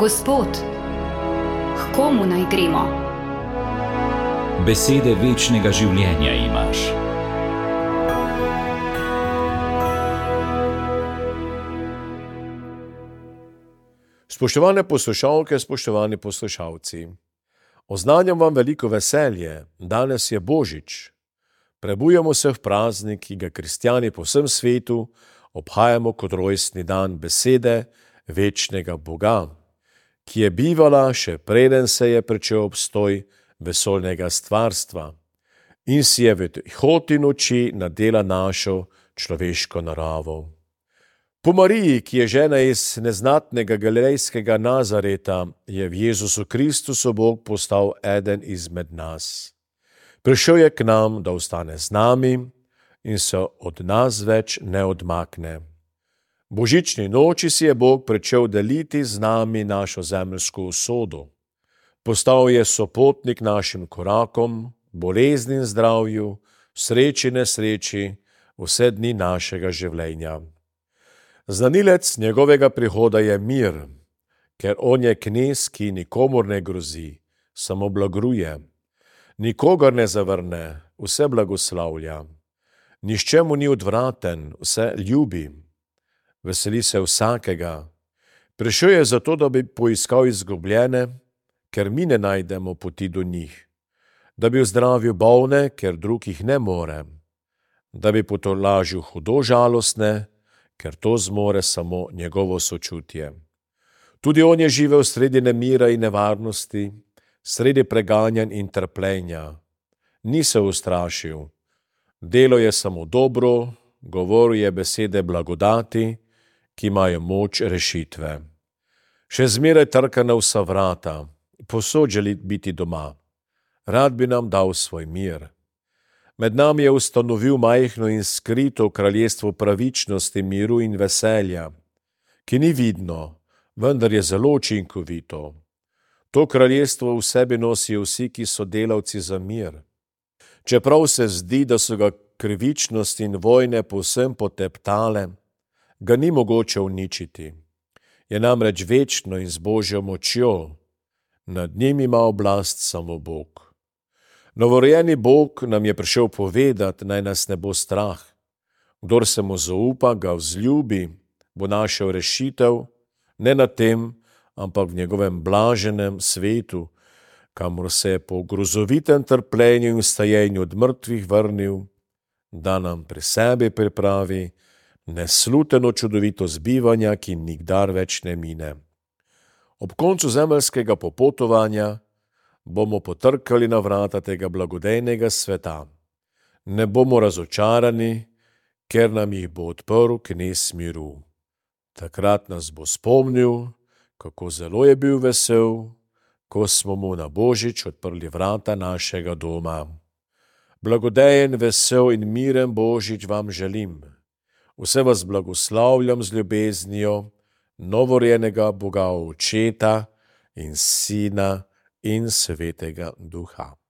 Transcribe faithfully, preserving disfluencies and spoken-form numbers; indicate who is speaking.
Speaker 1: Gospod, h komu naj gremo?
Speaker 2: Besede večnega življenja imaš.
Speaker 3: Spoštovane poslušalke, spoštovani poslušalci, oznanjam vam veliko veselje. Danes je Božič. Prebujamo se v praznik, ki ga kristjani po vsem svetu obhajamo kot rojstni dan besede večnega Boga, ki je bivala še preden se je pričel obstoj vesoljnega stvarstva in si je v tihoti noči nadela našo človeško naravo. Po Mariji, ki je žena iz neznatnega galilejskega Nazareta, je v Jezusu Kristusu Bog postal eden izmed nas. Prišel je k nam, da ostane z nami in se od nas več ne odmakne. Božični noči si je Bog pričel deliti z nami našo zemeljsko usodo. Postal je sopotnik našim korakom, bolezni in zdravju, sreči in nesreči, vse dni našega življenja. Znanilec njegovega prihoda je mir, ker on je knez, ki nikomur ne grozi, samo blagruje. Nikogar ne zavrne, vse blagoslavlja. Nihče mu ni odvraten, vse ljubi. Veseli se vsakega. Prišel je zato, da bi poiskal izgubljene, ker mi ne najdemo poti do njih. Da bi ozdravil bolne, ker drugih ne more. Da bi potolažil hudo žalostne, ker to zmore samo njegovo sočutje. Tudi on je živel sredi nemira in nevarnosti, sredi preganjanj in trpljenja. Ni se ustrašil. Delo je samo dobro, govoril je besede blagodati, ki imajo moč rešitve. Še zmeraj trka na vsa vrata, povsod želi biti doma. Rad bi nam dal svoj mir. Med nami je ustanovil majhno in skrito kraljestvo pravičnosti, miru in veselja, ki ni vidno, vendar je zelo učinkovito. To kraljestvo v sebi nosijo vsi, ki so delavci za mir. Čeprav se zdi, da so ga krivičnost in vojne povsem poteptale, ga ni mogoče uničiti. Je namreč večno in z Božjo močjo. Nad njim ima oblast samo Bog. Novorojeni Bog nam je prišel povedati, naj nas ne bo strah. Kdor se mu zaupa, ga vzljubi, bo našel rešitev, ne na tem, ampak v njegovem blaženem svetu, kamor se je po grozovitem trpljenju in vstajenju od mrtvih vrnil, da nam pri sebi pripravi nesluteno čudovito zbivanja, ki nikdar več ne mine. Ob koncu zemeljskega popotovanja bomo potrkali na vrata tega blagodejnega sveta. Ne bomo razočarani, ker nam jih bo odprl knez miru. Takrat nas bo spomnil, kako zelo je bil vesel, ko smo mu na Božič odprli vrata našega doma. Blagodejen, vesel in miren Božič vam želim. Vse vas blagoslavljam z ljubeznijo novorojenega Boga Očeta in Sina in Svetega Duha.